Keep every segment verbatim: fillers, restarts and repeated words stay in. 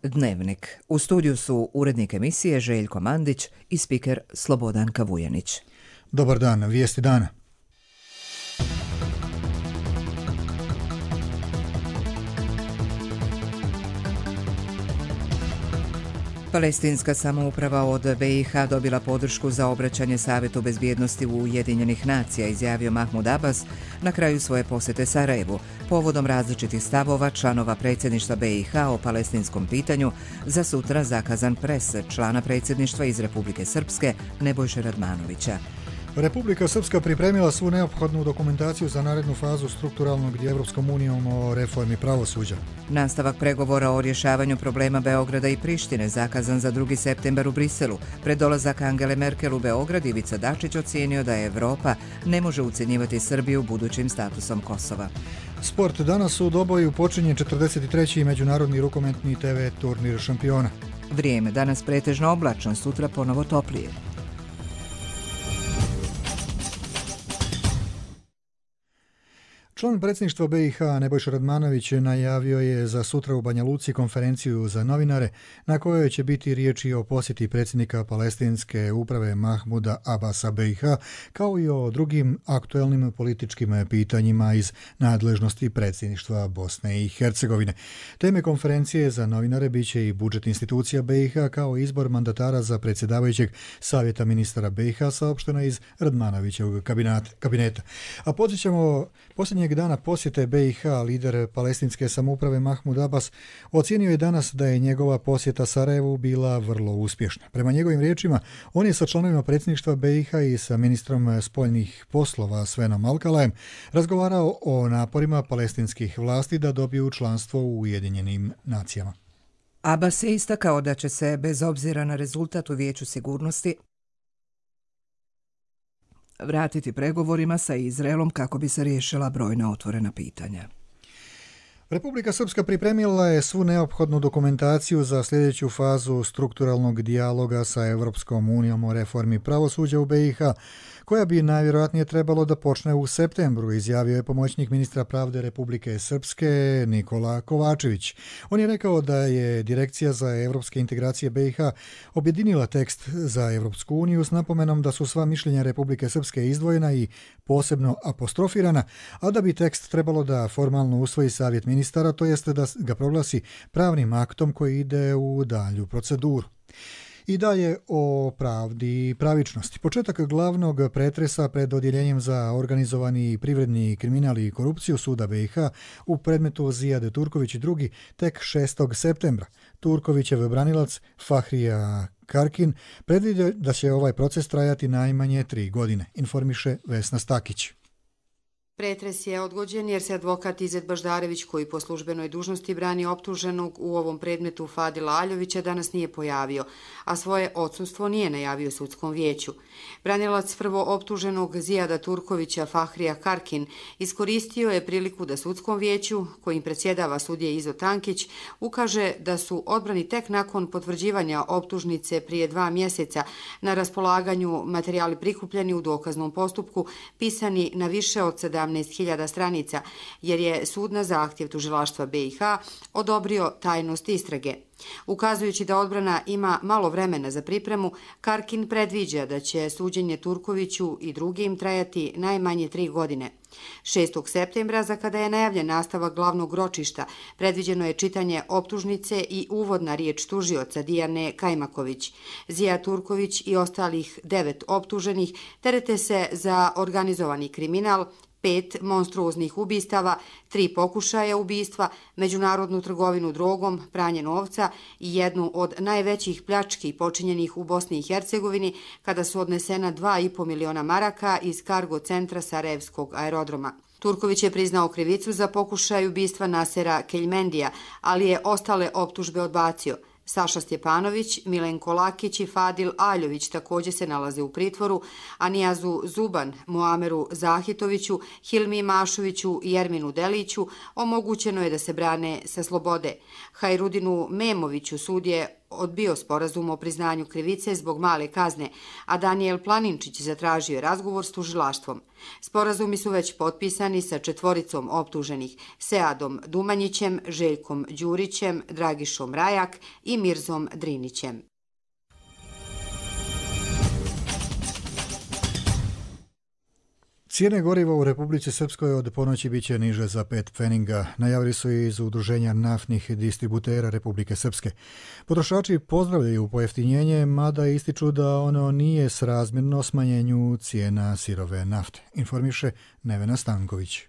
Dnevnik. U studiju su urednik emisije Željko Mandić i spiker Slobodan Kavujanić. Dobar dan, vijesti dana. Palestinska samouprava od B i H dobila podršku za obraćanje Savjetu bezbjednosti Ujedinjenih nacija, izjavio Mahmud Abbas na kraju svoje posjete Sarajevu, povodom različitih stavova članova predsjedništva B i H o palestinskom pitanju za sutra zakazan pres člana predsjedništva iz Republike Srpske Nebojše Radmanovića. Republika Srpska pripremila svu neophodnu dokumentaciju za narednu fazu strukturalnog dijaloga Evropskom unijom o reformi pravosuđa. Nastavak pregovora o rješavanju problema Beograda i Prištine zakazan za drugi septembar u Briselu. Pred dolazak Angele Merkel u Beograd Ivica Dačić ocijenio da Evropa ne može ucjenjivati Srbiju budućim statusom Kosova. Sport. Danas u Doboju počinje četrdeset treći međunarodni rukometni te ve turnir šampiona. Vrijeme. Danas pretežno oblačno, sutra ponovo toplije. Član predsjedništva B i H Nebojša Radmanović najavio je za sutra u Banja Luci konferenciju za novinare na kojoj će biti riječi o posjeti predsjednika palestinske uprave Mahmuda Abbasa B i H kao i o drugim aktuelnim političkim pitanjima iz nadležnosti predsjedništva Bosne i Hercegovine. Teme konferencije za novinare biće i budžet institucija B i H kao izbor mandatara za predsjedavajućeg savjeta ministara B i H, saopšteno iz Radmanovićevog kabineta. A podsjećamo, posljednjeg dana posjete B i H lider palestinske samouprave Mahmud Abbas ocijenio je danas da je njegova posjeta Sarajevu bila vrlo uspješna. Prema njegovim riječima, on je sa članovima predsjedništva B i H i sa ministrom spoljnih poslova Svenom Alkalajem razgovarao o naporima palestinskih vlasti da dobiju članstvo u Ujedinjenim nacijama. Abbas je istakao da će se, bez obzira na rezultat u Vijeću sigurnosti, vratiti pregovorima sa Izraelom kako bi se riješila brojna otvorena pitanja. Republika Srpska pripremila je svu neophodnu dokumentaciju za sljedeću fazu strukturalnog dijaloga sa Evropskom unijom o reformi pravosuđa u B i H, koja bi najvjerojatnije trebalo da počne u septembru, izjavio je pomoćnik ministra pravde Republike Srpske Nikola Kovačević. On je rekao da je Direkcija za evropske integracije B i H objedinila tekst za Evropsku uniju s napomenom da su sva mišljenja Republike Srpske izdvojena i posebno apostrofirana, a da bi tekst trebalo da formalno usvoji Savjet ministara, to jeste da ga proglasi pravnim aktom koji ide u dalju proceduru. I dalje o pravdi i pravičnosti. Početak glavnog pretresa pred odjeljenjem za organizovani privredni kriminal i korupciju suda B i H u predmetu Zijade Turković i drugi tek šestog septembra. Turkovićev branilac Fahrija Karkin predvidio da će ovaj proces trajati najmanje tri godine, informiše Vesna Stakić. Pretres je odgođen jer se advokat Izet Baždarević, koji po službenoj dužnosti brani optuženog u ovom predmetu Fadila Aljovića, danas nije pojavio, a svoje odsustvo nije najavio sudskom vijeću. Branilac prvo optuženog Zijada Turkovića Fahrija Karkin iskoristio je priliku da sudskom vijeću, kojim predsjedava sudija Izo Tankić, ukaže da su odbrani tek nakon potvrđivanja optužnice prije dva mjeseca na raspolaganju materijali prikupljeni u dokaznom postupku, pisani na više od sedamnaest hiljada stranica, jer je sud na zahtjev tužilaštva B i H odobrio tajnost istrage. Ukazujući da odbrana ima malo vremena za pripremu, Karkin predviđa da će suđenje Turkoviću i drugim trajati najmanje tri godine. šestog septembra, za kada je najavljen nastavak glavnog ročišta, predviđeno je čitanje optužnice i uvodna riječ tužioca Dijane Kajmaković. Zija Turković i ostalih devet optuženih terete se za organizovani kriminal, pet monstruoznih ubistava, tri pokušaja ubistva, međunarodnu trgovinu drogom, pranje novca i jednu od najvećih pljački počinjenih u Bosni i Hercegovini kada su odnesena dva i po miliona maraka iz kargo centra Sarajevskog aerodroma. Turković je priznao krivicu za pokušaj ubistva Nasera Keljmendija, ali je ostale optužbe odbacio. Saša Stjepanović, Milenko Lakić i Fadil Aljović također se nalaze u pritvoru, a Nijazu Zuban, Muameru Zahitoviću, Hilmi Mašoviću i Jerminu Deliću omogućeno je da se brane sa slobode. Hajrudinu Memoviću sud je odbio sporazum o priznanju krivice zbog male kazne, a Danijel Planinčić zatražio je razgovor s tužilaštvom. Sporazumi su već potpisani sa četvoricom optuženih, Seadom Dumanjićem, Željkom Đurićem, Dragišom Rajak i Mirzom Drinićem. Cijene goriva u Republici Srpskoj od ponoći bit će niže za pet pfeninga, najavili su i iz Udruženja naftnih distributera Republike Srpske. Potrošači pozdravljaju pojeftinjenje, mada ističu da ono nije srazmjerno smanjenju cijena sirove nafte, informiše Nevena Stanković.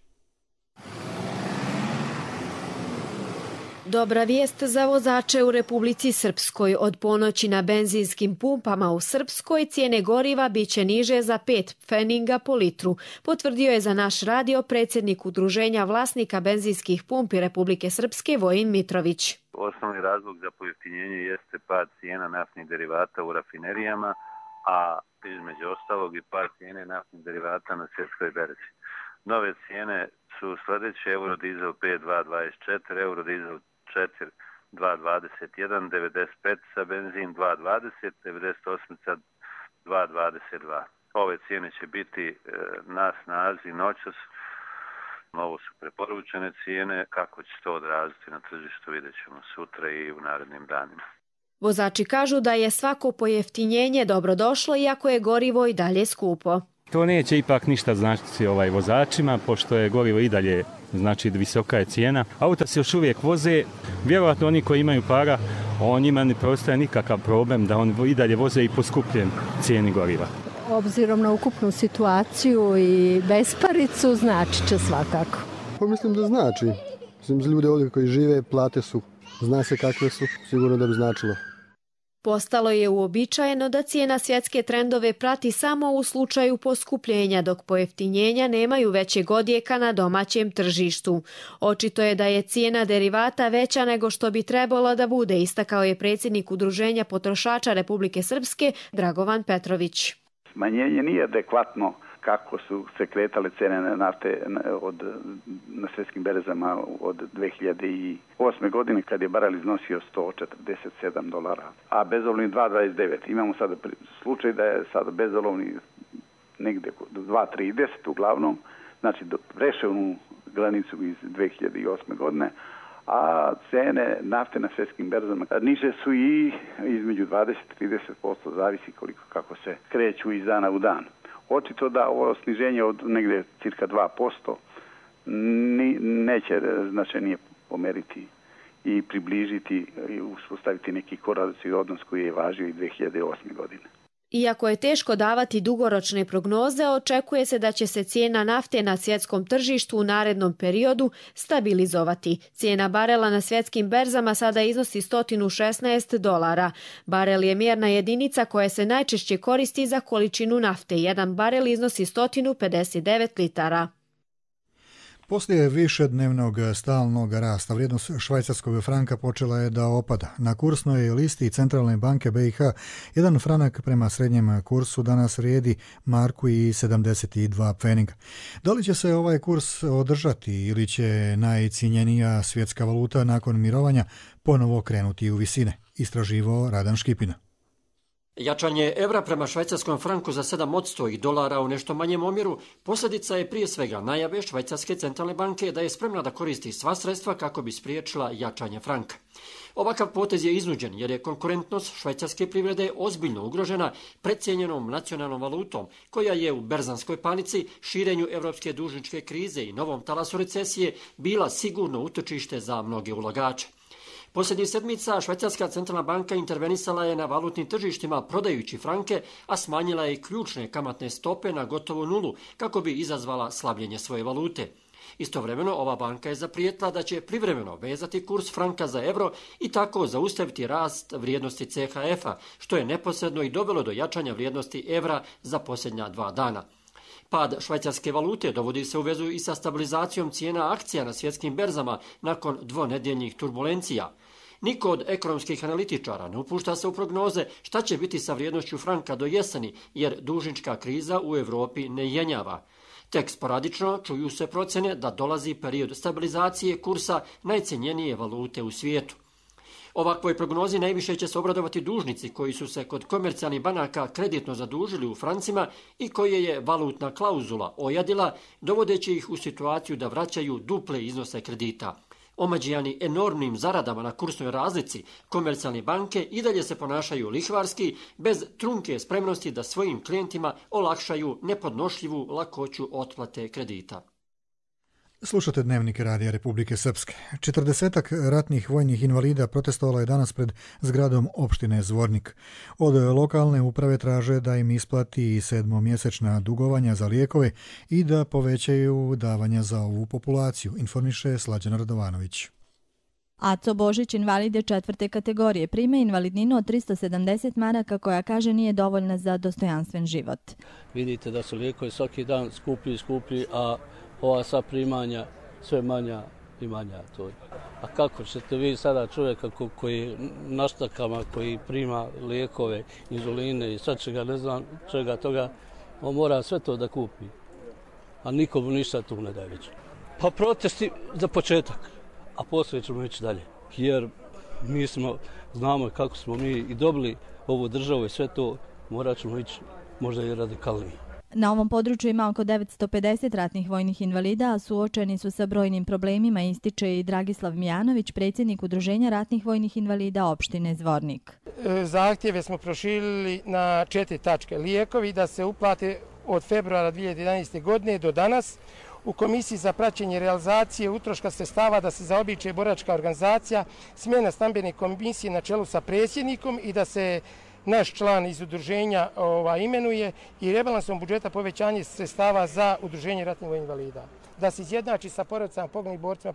Dobra vijest za vozače u Republici Srpskoj. Od ponoći na benzinskim pumpama u Srpskoj cijene goriva biće niže za pet pfeninga po litru, potvrdio je za naš radio predsjednik Udruženja vlasnika benzinskih pumpi Republike Srpske Vojin Mitrović. Osnovni razlog za pojeftinjenje jeste pad cijena naftnih derivata u rafinerijama, a između ostalog i pad cijene naftnih derivata na svjetskoj berzi. Nove cijene su sljedeće: eurodizel pet dva dvadeset četiri, eurodizel četiri dva dvadeset jedan, devedeset pet sa benzin dva dvadeset, devedeset osam dva dvadeset dva. Ove cijene će biti e, na snazi noćas. Ovo su preporučene cijene, kako će to odraziti na tržištu vidjet ćemo sutra i u narednim danima. Vozači kažu da je svako pojeftinjenje dobrodošlo, iako je gorivo i dalje skupo. To neće ipak ništa značiti ovaj vozačima, pošto je gorivo i dalje, znači visoka je cijena. Auta se još uvijek voze, vjerojatno oni koji imaju para, o njima ne preostaje nikakav problem da oni i dalje voze i po skupljem cijeni goriva. Obzirom na ukupnu situaciju i besparicu, znači će svakako. Pa mislim da znači. Mislim, za ljude ovdje koji žive, plate su, zna se kakve su, sigurno da bi značilo. Postalo je uobičajeno da cijena svjetske trendove prati samo u slučaju poskupljenja, dok pojeftinjenja nemaju većeg odjeka na domaćem tržištu. Očito je da je cijena derivata veća nego što bi trebalo da bude, istakao je predsjednik Udruženja potrošača Republike Srpske Dragovan Petrović. Smanjenje nije adekvatno kako su se kretale cijene nafte od, na svjetskim berzama od dve hiljade osme godine, kad je barel iznosio sto četrdeset sedam dolara, a bezolovni dva dvadeset devet. Imamo sada slučaj da je sada bezolovni negdje dva trideset uglavnom, znači prešao onu granicu iz dve hiljade osme godine, a cene nafte na svjetskim berzama niže su i između dvadeset do trideset posto, zavisi koliko kako se kreću iz dana u dan. Očito da ovo sniženje od negdje cirka dva posto ni, neće značajnije pomeriti i približiti i uspostaviti neki korelacijski odnos koji je važio i dve hiljade osme godine. Iako je teško davati dugoročne prognoze, očekuje se da će se cijena nafte na svjetskom tržištu u narednom periodu stabilizovati. Cijena barela na svjetskim berzama sada iznosi sto šesnaest dolara. Barel je mjerna jedinica koja se najčešće koristi za količinu nafte. Jedan barel iznosi sto pedeset devet litara. Poslije višednevnog stalnog rasta vrijednost švajcarskog franka počela je da opada. Na kursnoj listi Centralne banke B i H jedan franak prema srednjem kursu danas vrijedi marku i sedamdeset dva pfeninga. Da li će se ovaj kurs održati ili će najcijenjenija svjetska valuta nakon mirovanja ponovo krenuti u visine? Istraživao Radan Škipina. Jačanje evra prema švajcarskom franku za sedam posto i dolara u nešto manjem omjeru posljedica je prije svega najave Švajcarske centralne banke da je spremna da koristi sva sredstva kako bi spriječila jačanje franka. Ovakav potez je iznuđen jer je konkurentnost švajcarske privrede ozbiljno ugrožena precijenjenom nacionalnom valutom koja je u berzanskoj panici, širenju europske dužničke krize i novom talasu recesije bila sigurno utočište za mnoge ulagače. Posljednjih sedmica Švajcarska centralna banka intervenisala je na valutnim tržištima prodajući franke, a smanjila je ključne kamatne stope na gotovo nulu kako bi izazvala slabljenje svoje valute. Istovremeno ova banka je zaprijetila da će privremeno vezati kurs franka za euro i tako zaustaviti rast vrijednosti C H F-a, što je neposredno i dovelo do jačanja vrijednosti evra za posljednja dva dana. Pad švajcarske valute dovodi se u vezu i sa stabilizacijom cijena akcija na svjetskim berzama nakon dvonedjeljnih turbulencija. Niko od ekonomskih analitičara ne upušta se u prognoze šta će biti sa vrijednošću franka do jeseni, jer dužnička kriza u Europi ne jenjava. Tek sporadično čuju se procjene da dolazi period stabilizacije kursa najcjenjenije valute u svijetu. Ovakvoj prognozi najviše će se obradovati dužnici koji su se kod komercijalnih banaka kreditno zadužili u francima i koje je valutna klauzula ojadila, dovodeći ih u situaciju da vraćaju duple iznose kredita. Omađijani enormnim zaradama na kursnoj razlici, komercijalne banke i dalje se ponašaju lihvarski, bez trunke spremnosti da svojim klijentima olakšaju nepodnošljivu lakoću otplate kredita. Slušate Dnevnik Radija Republike Srpske. Četrdesetak ratnih vojnih invalida protestovalo je danas pred zgradom opštine Zvornik. Od lokalne uprave traže da im isplati i sedmomjesečna dugovanja za lijekove i da povećaju davanja za ovu populaciju, informiše Slađana Radovanović. Aco Božić, invalid je četvrte kategorije, prima invalidninu od tristo sedamdeset maraka koja kaže nije dovoljna za dostojanstven život. Vidite da su lijekovi svaki dan skuplji i skuplji, a ova sva primanja sve manja i manja. To je. A kako ćete vi sada čovjeka koji na štakama, koji prima lijekove, inzuline i sad čega, ne znam čega toga, on mora sve to da kupi, a nikomu ništa tu ne daje već. Pa protesti za početak, a poslije ćemo ići dalje. Jer mi smo, znamo kako smo mi i dobili ovu državu i sve to, morat ćemo ići možda i radikalnije. Na ovom području ima oko devetsto pedeset ratnih vojnih invalida, a suočeni su sa brojnim problemima, ističe i Dragislav Mijanović, predsjednik Udruženja ratnih vojnih invalida opštine Zvornik. Zahtjeve smo proširili na četiri tačke. Lijekovi da se uplate od februara dvije hiljade jedanaeste. godine do danas. U Komisiji za praćenje realizacije utroška sredstava da se zaobiče boračka organizacija, smjena stambene komisije na čelu sa predsjednikom i da se naš član iz udruženja ova, imenuje i rebalansom budžeta povećanje sredstava za udruženje ratnih vojnih invalida. Da se izjednači sa porodicama poginulih borcima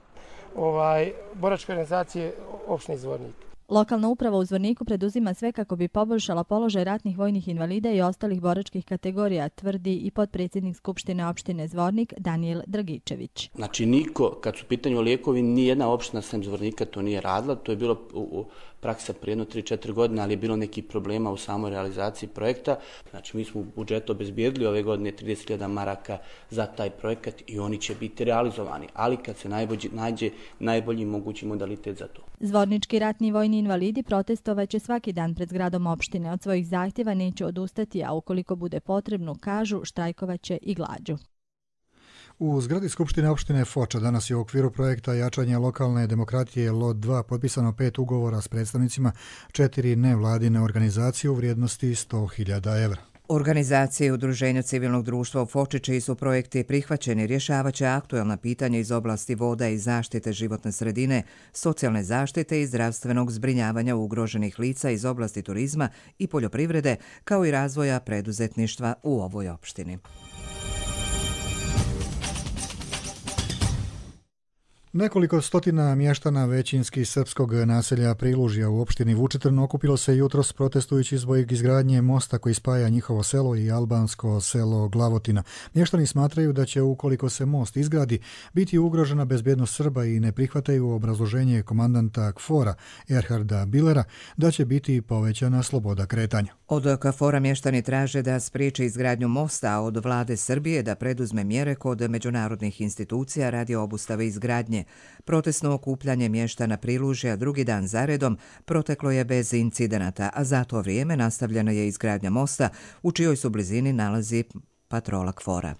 ovaj, boračke organizacije opštine Zvornik. Lokalna uprava u Zvorniku preduzima sve kako bi poboljšala položaj ratnih vojnih invalida i ostalih boračkih kategorija, tvrdi i potpredsjednik Skupštine opštine Zvornik Danijel Dragičević. Znači niko, kad su u pitanju lijekovi, nijedna opština sem Zvornika to nije radila, to je bilo u, u praksa prije jedno tri četiri godine, ali je bilo nekih problema u samoj realizaciji projekta. Znači mi smo u budžetu obezbijedili ove godine trideset hiljada maraka za taj projekat i oni će biti realizovani, ali kad se najbolji, nađe najbolji mogući modalitet za to. Zvornički ratni vojni invalidi protestovaće svaki dan pred zgradom opštine. Od svojih zahtjeva neće odustati, a ukoliko bude potrebno, kažu, štrajkovaće i glađu. U zgradi Skupštine opštine Foča danas je u okviru projekta jačanja lokalne demokratije L O D dva potpisano pet ugovora s predstavnicima četiri nevladine organizacije u vrijednosti sto hiljada evra. Organizacije i udruženja civilnog društva u Foči, čiji su projekti prihvaćeni, rješavaće aktuelna pitanja iz oblasti voda i zaštite životne sredine, socijalne zaštite i zdravstvenog zbrinjavanja ugroženih lica iz oblasti turizma i poljoprivrede, kao i razvoja preduzetništva u ovoj opštini. Nekoliko stotina mještana većinski srpskog naselja Prilužja u opštini Vučitrn okupilo se jutros protestujući zbog izgradnje mosta koji spaja njihovo selo i albansko selo Glavotina. Mještani smatraju da će, ukoliko se most izgradi, biti ugrožena bezbjednost Srba i ne prihvataju obrazloženje komandanta KFOR-a Erharda Bilera da će biti povećana sloboda kretanja. Od KFOR-a mještani traže da spriječi izgradnju mosta, a od vlade Srbije da preduzme mjere kod međunarodnih institucija radi obustave izgradnje. Protestno okupljanje mještana Prilužja drugi dan zaredom proteklo je bez incidenata, a za to vrijeme nastavljena je izgradnja mosta u čijoj su blizini nalazi patrola KFOR-a.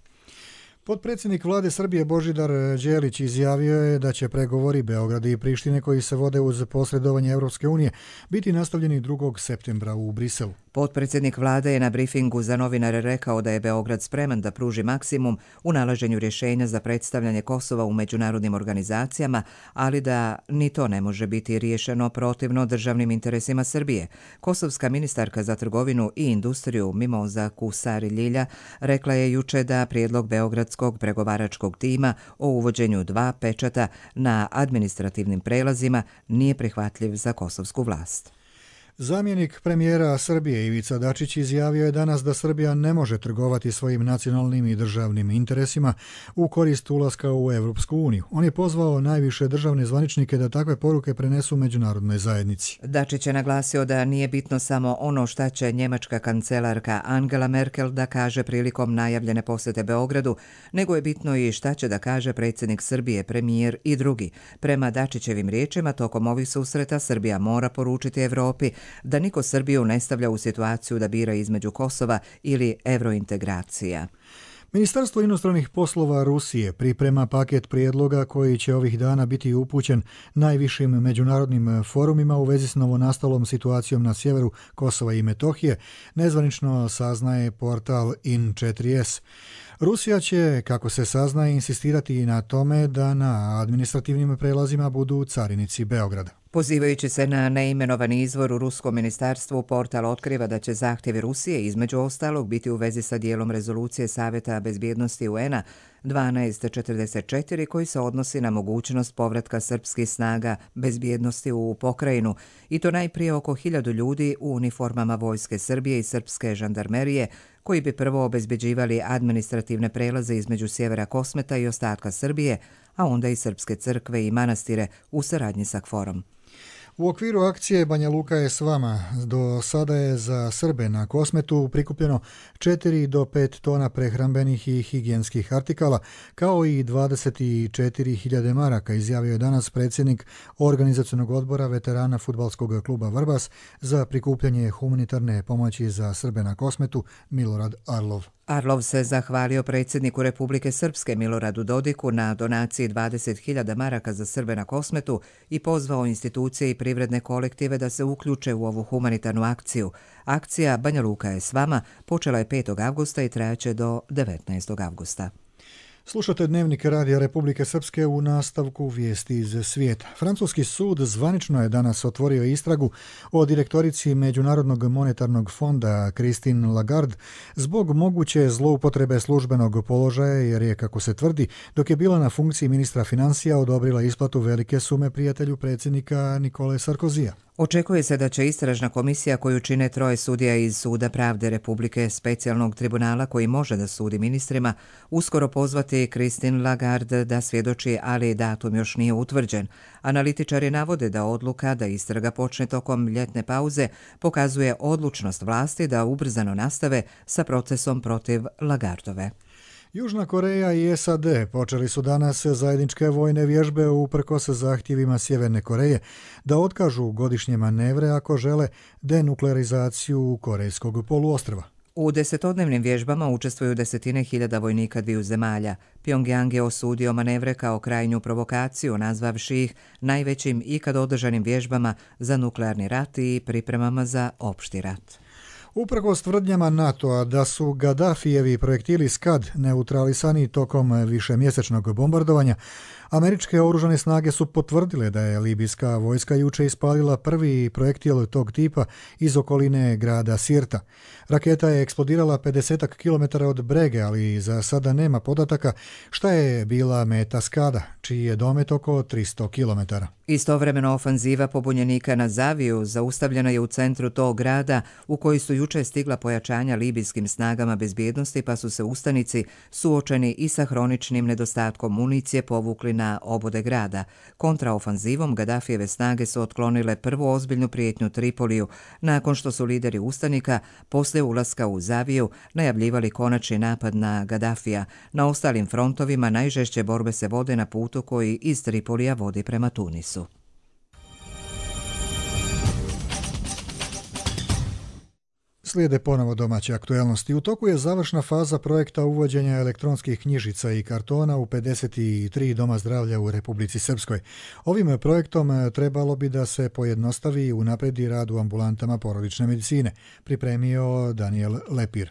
Potpredsjednik vlade Srbije Božidar Đelić izjavio je da će pregovori Beograda i Prištine koji se vode uz posredovanje Evropske unije biti nastavljeni drugog septembra u Briselu. Potpredsjednik vlade je na brifingu za novinare rekao da je Beograd spreman da pruži maksimum u nalaženju rješenja za predstavljanje Kosova u međunarodnim organizacijama, ali da ni to ne može biti riješeno protivno državnim interesima Srbije. Kosovska ministarka za trgovinu i industriju Mimoza Kusari Ljilja rekla je juče da prijedlog beogradskog pregovaračkog tima o uvođenju dva pečata na administrativnim prelazima nije prihvatljiv za kosovsku vlast. Zamjenik premijera Srbije Ivica Dačić izjavio je danas da Srbija ne može trgovati svojim nacionalnim i državnim interesima u korist ulaska u Evropsku uniju. On je pozvao najviše državne zvaničnike da takve poruke prenesu međunarodnoj zajednici. Dačić je naglasio da nije bitno samo ono šta će njemačka kancelarka Angela Merkel da kaže prilikom najavljene posete Beogradu, nego je bitno i šta će da kaže predsjednik Srbije, premijer i drugi. Prema Dačićevim riječima, tokom ovih susreta Srbija mora poručiti Evropi da niko Srbiju ne stavlja u situaciju da bira između Kosova ili evrointegracija. Ministarstvo inostranih poslova Rusije priprema paket prijedloga koji će ovih dana biti upućen najvišim međunarodnim forumima u vezi s novonastalom situacijom na sjeveru Kosova i Metohije, nezvanično saznaje portal in četiri es. Rusija će, kako se saznaje, insistirati na tome da na administrativnim prelazima budu carinici Beograda. Pozivajući se na neimenovani izvor u ruskom ministarstvu, portal otkriva da će zahtjevi Rusije između ostalog biti u vezi sa dijelom rezolucije Savjeta bezbjednosti U N a dvanaest četrdeset četiri koji se odnosi na mogućnost povratka srpskih snaga bezbjednosti u pokrajinu i to najprije oko hiljadu ljudi u uniformama vojske Srbije i srpske žandarmerije koji bi prvo obezbeđivali administrativne prelaze između sjevera Kosmeta i ostatka Srbije, a onda i srpske crkve i manastire u saradnji sa KFOR-om. U okviru akcije Banja Luka je s vama. Do sada je za Srbe na Kosmetu prikupljeno četiri do pet tona prehrambenih i higijenskih artikala, kao i dvadeset četiri hiljade maraka, izjavio je danas predsjednik organizacionog odbora veterana fudbalskog kluba Vrbas za prikupljanje humanitarne pomoći za Srbe na Kosmetu, Milorad Arlov. Arlov se zahvalio predsjedniku Republike Srpske Miloradu Dodiku na donaciji dvadeset hiljada maraka za Srbe na Kosmetu i pozvao institucije i privredne kolektive da se uključe u ovu humanitarnu akciju. Akcija Banja Luka je s vama počela je petog avgusta i trajaće do devetnaestog avgusta. Slušate Dnevnik Radija Republike Srpske u nastavku vijesti iz svijeta. Francuski sud zvanično je danas otvorio istragu o direktorici Međunarodnog monetarnog fonda Christine Lagarde zbog moguće zloupotrebe službenog položaja jer je, kako se tvrdi, dok je bila na funkciji ministra financija odobrila isplatu velike sume prijatelju predsjednika Nikole Sarkozija. Očekuje se da će istražna komisija koju čine troje sudija iz Suda pravde Republike specijalnog tribunala koji može da sudi ministrima uskoro pozvati Christine Lagarde da svjedoči, ali datum još nije utvrđen. Analitičari navode da odluka da istraga počne tokom ljetne pauze pokazuje odlučnost vlasti da ubrzano nastave sa procesom protiv Lagardove. Južna Koreja i S A D počeli su danas zajedničke vojne vježbe uprkos zahtjevima Sjeverne Koreje da otkažu godišnje manevre ako žele denuklearizaciju Korejskog poluostrva. U desetodnevnim vježbama učestvuju desetine hiljada vojnika dviju zemalja. Pyongyang je osudio manevre kao krajnju provokaciju, nazvavši ih najvećim ikad održanim vježbama za nuklearni rat i pripremama za opšti rat. Uprkos tvrdnjama NATO-a da su Gaddafijevi projektili Skad neutralisani tokom višemjesečnog bombardovanja, američke oružane snage su potvrdile da je libijska vojska juče ispalila prvi projektil tog tipa iz okoline grada Sirta. Raketa je eksplodirala pedeset kilometara od Brege, ali za sada nema podataka šta je bila meta Skada, čiji je domet oko tristo kilometara. Istovremeno ofanziva pobunjenika na Zaviju zaustavljena je u centru tog grada u koji su juče stigla pojačanja libijskim snagama bezbjednosti, pa su se ustanici suočeni i sa hroničnim nedostatkom municije povukli na obode grada. Kontraofanzivom Gaddafijeve snage su otklonile prvu ozbiljnu prijetnju Tripoliju, nakon što su lideri ustanika poslije ulaska u Zaviju najavljivali konačni napad na Gaddafija. Na ostalim frontovima najžešće borbe se vode na putu koji iz Tripolija vodi prema Tunisu. Slijede ponovo domaće aktuelnosti. U toku je završna faza projekta uvođenja elektronskih knjižica i kartona u pedeset tri doma zdravlja u Republici Srpskoj. Ovim projektom trebalo bi da se pojednostavi i unapredi rad u ambulantama porodične medicine, pripremio Daniel Lepir.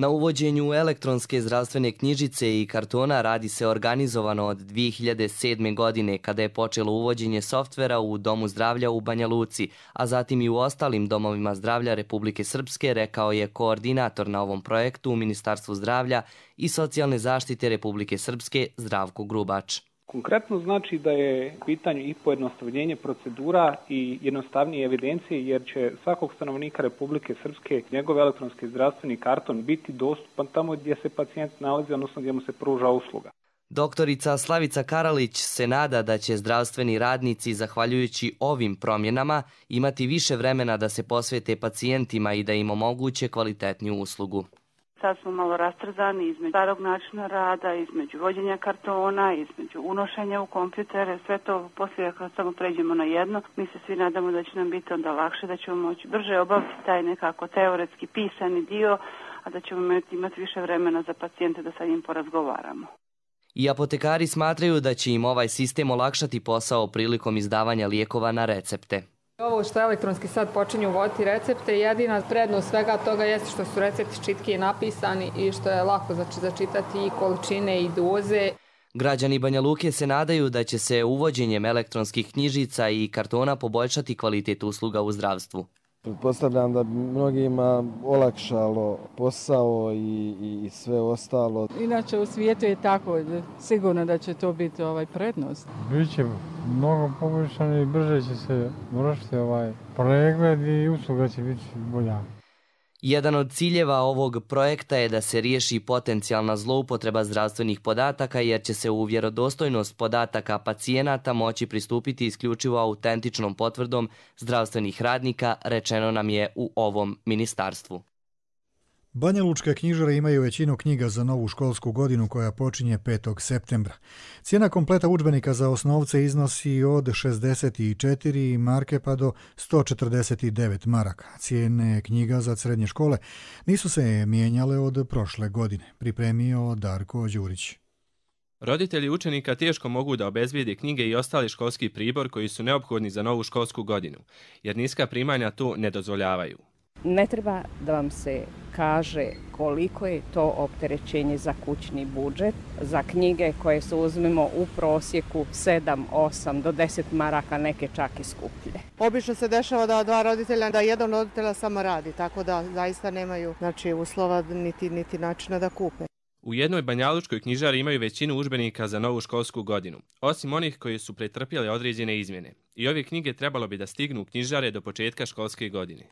Na uvođenju elektronske zdravstvene knjižice i kartona radi se organizovano od dvije hiljade sedme. godine kada je počelo uvođenje softvera u Domu zdravlja u Banja Luci, a zatim i u ostalim domovima zdravlja Republike Srpske, rekao je koordinator na ovom projektu u Ministarstvu zdravlja i socijalne zaštite Republike Srpske Zdravko Grubač. Konkretno znači da je u pitanju i pojednostavljenje procedura i jednostavnije evidencije, jer će svakog stanovnika Republike Srpske njegov elektronski zdravstveni karton biti dostupan tamo gdje se pacijent nalazi, odnosno gdje mu se pruža usluga. Doktorica Slavica Karalić se nada da će zdravstveni radnici, zahvaljujući ovim promjenama, imati više vremena da se posvete pacijentima i da im omoguće kvalitetniju uslugu. Sad smo malo rastrzani između starog načina rada, između vođenja kartona, između unošenja u kompjutere, sve to poslije kad samo pređemo na jedno. Mi se svi nadamo da će nam biti onda lakše, da ćemo moći brže obaviti taj nekako teoretski pisani dio, a da ćemo imati više vremena za pacijente da sa njim porazgovaramo. I apotekari smatraju da će im ovaj sistem olakšati posao prilikom izdavanja lijekova na recepte. Ovo što elektronski sad počinju uvoditi recepte, jedina prednost svega toga jeste što su recepti čitkije napisani i što je lako začitati i količine i doze. Građani Banja Luke se nadaju da će se uvođenjem elektronskih knjižica i kartona poboljšati kvalitet usluga u zdravstvu. Pretpostavljam da bi mnogima olakšalo posao i, i sve ostalo. Inače u svijetu je tako, sigurno da će to biti ovaj prednost. Biće mnogo poboljšano i brže će se vršiti ovaj pregled i usluga će biti bolja. Jedan od ciljeva ovog projekta je da se riješi potencijalna zloupotreba zdravstvenih podataka, jer će se u vjerodostojnost podataka pacijenata moći pristupiti isključivo autentičnom potvrdom zdravstvenih radnika, rečeno nam je u ovom ministarstvu. Banjalučke knjižare imaju većinu knjiga za novu školsku godinu koja počinje petog septembra. Cijena kompleta udžbenika za osnovce iznosi od šezdeset četiri marke pa do sto četrdeset devet maraka. Cijene knjiga za srednje škole nisu se mijenjale od prošle godine, pripremio Darko Đurić. Roditelji učenika teško mogu da obezbijede knjige i ostali školski pribor koji su neophodni za novu školsku godinu, jer niska primanja to ne dozvoljavaju. Ne treba da vam se kaže koliko je to opterećenje za kućni budžet, za knjige koje se uzmemo u prosjeku sedam, osam do deset maraka, neke čak i skuplje. Obično se dešava da dva roditelja, da jedan roditelja samo radi, tako da zaista nemaju znači, uslova niti, niti načina da kupe. U jednoj banjalučkoj knjižari imaju većinu udžbenika za novu školsku godinu, osim onih koji su pretrpjeli određene izmjene. I ove knjige trebalo bi da stignu u knjižare do početka školske godine.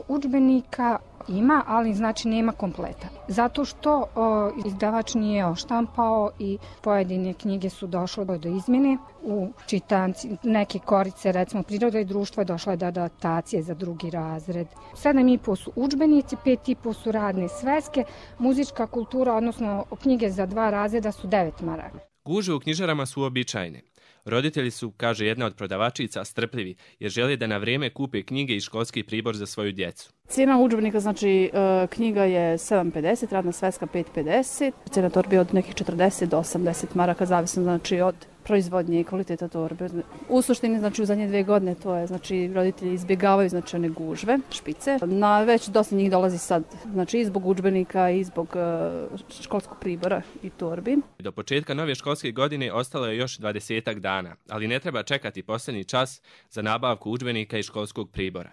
Udžbenika ima, ali znači nema kompleta. Zato što o, izdavač nije oštampao i pojedine knjige su došle do izmjene. U čitanci neke korice, recimo Priroda i društvo, je došla do adaptacije za drugi razred. sedam i po su udžbenici, pet i po su radne sveske, muzička kultura, odnosno knjige za dva razreda su devet maraka. Gužve u knjižarama su uobičajene. Roditelji su, kaže jedna od prodavačica, strpljivi jer žele da na vrijeme kupe knjige i školski pribor za svoju djecu. Cijena udžbenika, znači knjiga je sedam pedeset, radna sveska pet pedeset, cijena torbe od nekih četrdeset do osamdeset maraka, zavisno znači od proizvodnje i kvaliteta torbe. U suštini, znači u zadnje dvije godine to je, znači roditelji izbjegavaju znači one gužve, špice. Na već dosta njih dolazi sad, znači i zbog udžbenika i zbog uh, školskog pribora i torbi. Do početka nove školske godine ostalo je još dvadesetak dana, ali ne treba čekati posljednji čas za nabavku udžbenika i školskog pribora.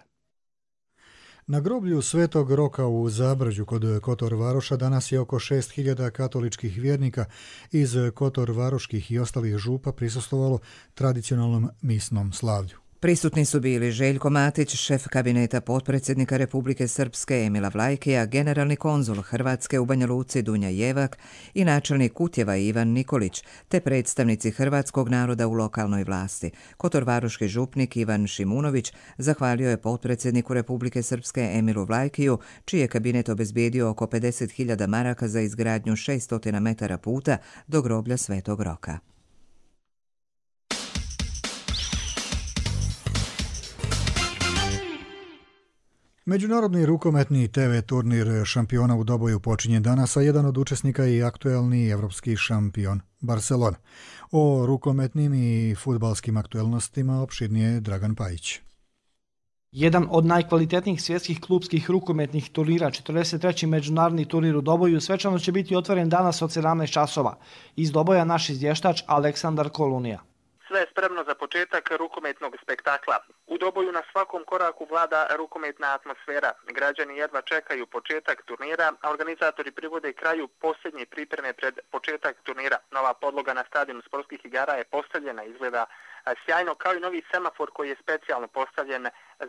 Na groblju Svetog Roka u Zabrđu kod Kotor Varoša danas je oko šest hiljada katoličkih vjernika iz Kotor Varoških i ostalih župa prisustvovalo tradicionalnom misnom slavlju. Prisutni su bili Željko Matić, šef kabineta potpredsjednika Republike Srpske Emila Vlajkija, generalni konzul Hrvatske u Banja Luci Dunja Jevak i načelnik Kutjeva Ivan Nikolić, te predstavnici hrvatskog naroda u lokalnoj vlasti. Kotorvaroški župnik Ivan Šimunović zahvalio je potpredsjedniku Republike Srpske Emilu Vlajkiju, čiji je kabinet obezbijedio oko pedeset hiljada maraka za izgradnju šesto metara puta do groblja Svetog Roka. Međunarodni rukometni te ve turnir šampiona u Doboju počinje danas, a jedan od učesnika je i aktuelni evropski šampion Barcelona. O rukometnim i fudbalskim aktuelnostima opširnije Dragan Pajić. Jedan od najkvalitetnijih svjetskih klubskih rukometnih turnira, četrdeset treći međunarodni turnir u Doboju, svečano će biti otvoren danas od sedamnaest časova. Iz Doboja naš izvještač Aleksandar Kolunija. Sve je spremno za početak rukometnog spektakla. U Doboju na svakom koraku vlada rukometna atmosfera. Građani jedva čekaju početak turnira, a organizatori privode kraju posljednje pripreme pred početak turnira. Nova podloga na stadionu sportskih igara je postavljena, izgleda sjajno, kao i novi semafor koji je specijalno postavljen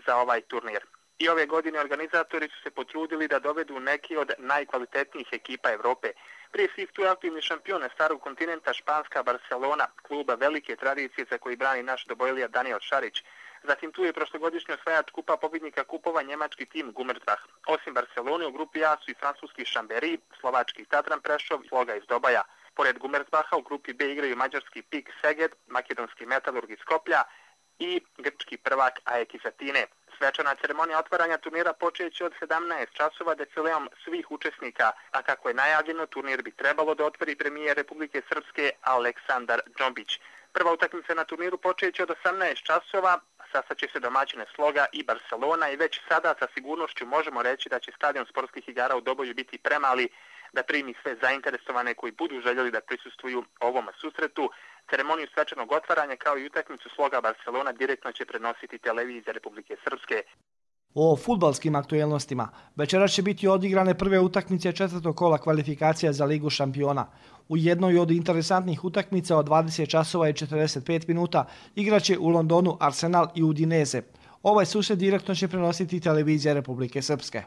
za ovaj turnir. I ove godine organizatori su se potrudili da dovedu neki od najkvalitetnijih ekipa Evrope. Prije svih tu je aktivni šampion starog kontinenta španska Barcelona, kluba velike tradicije za koji brani naš Dobojlija Daniel Šarić. Zatim tu je prošlogodišnji osvajač kupa pobjednika kupova njemački tim Gummersbach. Osim Barcelone u grupi A su i francuski Chambéry, slovački Tatran Prešov i Sloga iz Dobaja. Pored Gummersbacha u grupi B igraju mađarski Pik Szeged, makedonski Metalurg iz Skoplja i grčki prvak A E K iz Atine. Svečana ceremonija otvaranja turnira počeće od sedamnaest časova defileom svih učesnika, a kako je najavljeno, turnir bi trebalo da otvori premijer Republike Srpske Aleksandar Džombić. Prva utakmica na turniru počeće od osamnaest časova, sastaće se domaćine Sloga i Barcelona i već sada sa sigurnošću možemo reći da će stadion sportskih igara u Doboju biti premali da primi sve zainteresovane koji budu željeli da prisustvuju ovom susretu. Ceremoniju svečanog otvaranja kao i utakmicu Sloga Barcelona direktno će prenositi televizija Republike Srpske. O fudbalskim aktuelnostima. Večeras će biti odigrane prve utakmice četvrtog kola kvalifikacija za Ligu šampiona. U jednoj od interesantnih utakmica od dvadeset časova i četrdeset pet minuta igraće u Londonu Arsenal i Udinese. Ovaj susret direktno će prenositi televizija Republike Srpske.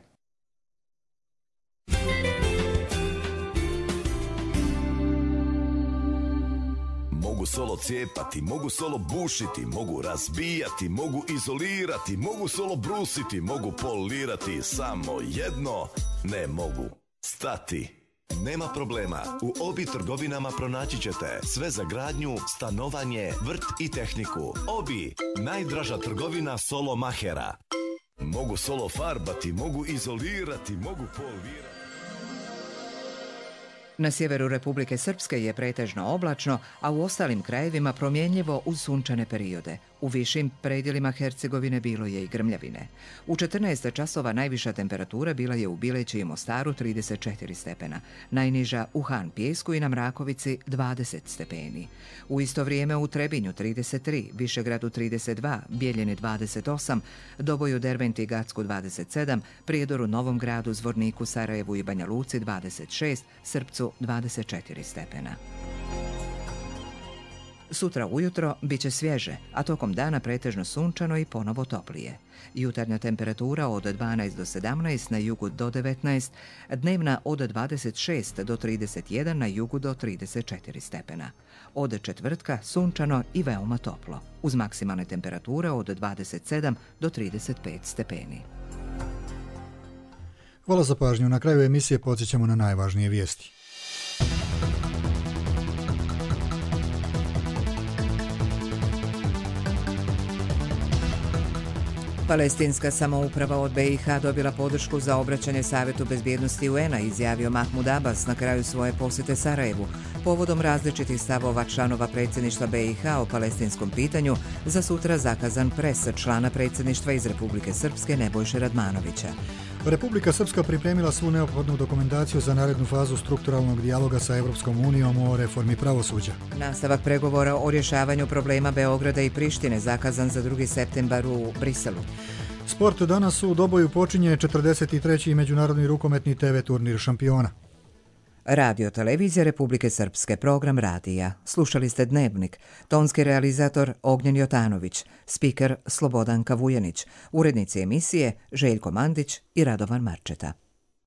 Mogu solo cijepati, mogu solo bušiti, mogu razbijati, mogu izolirati, mogu solo brusiti, mogu polirati, samo jedno ne mogu stati. Nema problema, u Obi trgovinama pronaći ćete sve za gradnju, stanovanje, vrt i tehniku. Obi, najdraža trgovina solo mahera. Mogu solo farbati, mogu izolirati, mogu polirati. Na sjeveru Republike Srpske je pretežno oblačno, a u ostalim krajevima promjenljivo uz sunčane periode. U višim predjelima Hercegovine bilo je i grmljavine. U četrnaest časova najviša temperatura bila je u Bileći i Mostaru trideset četiri stepena, najniža u Han Pijesku i na Mrakovici dvadeset stepeni. U isto vrijeme u Trebinju trideset tri, Višegradu trideset dva, Bijeljini dvadeset osam, Doboju, Derventi i Gacku dvadeset sedam, Prijedoru, Novom Gradu, Zvorniku, Sarajevu i Banja Luci dvadeset šest, Srpcu dvadeset četiri stepena. Sutra ujutro bit će svježe, a tokom dana pretežno sunčano i ponovo toplije. Jutarnja temperatura od dvanaest do sedamnaest, na jugu do devetnaest, dnevna od dvadeset šest do trideset jedan, na jugu do trideset četiri stepena. Od četvrtka sunčano i veoma toplo, uz maksimalne temperature od dvadeset sedam do trideset pet stepeni. Hvala za pažnju. Na kraju emisije podsjećamo na najvažnije vijesti. Palestinska samouprava od B i H dobila podršku za obraćanje Savetu bezbjednosti U N-a, izjavio Mahmud Abbas na kraju svoje posjete Sarajevu. Povodom različitih stavova članova predsjedništva B i H o palestinskom pitanju, za sutra zakazan pres člana predsjedništva iz Republike Srpske Nebojše Radmanovića. Republika Srpska pripremila svu neophodnu dokumentaciju za narednu fazu strukturalnog dijaloga sa Evropskom unijom o reformi pravosuđa. Nastavak pregovora o rješavanju problema Beograda i Prištine zakazan za drugi septembar u Briselu. Sport danas u Doboju počinje četrdeset treći međunarodni rukometni T V turnir šampiona. Radio televizija Republike Srpske, program radija. Slušali ste Dnevnik. Tonski realizator Ognjen Jotanović, spiker Slobodanka Vujanić, urednici emisije Željko Mandić i Radovan Marčeta.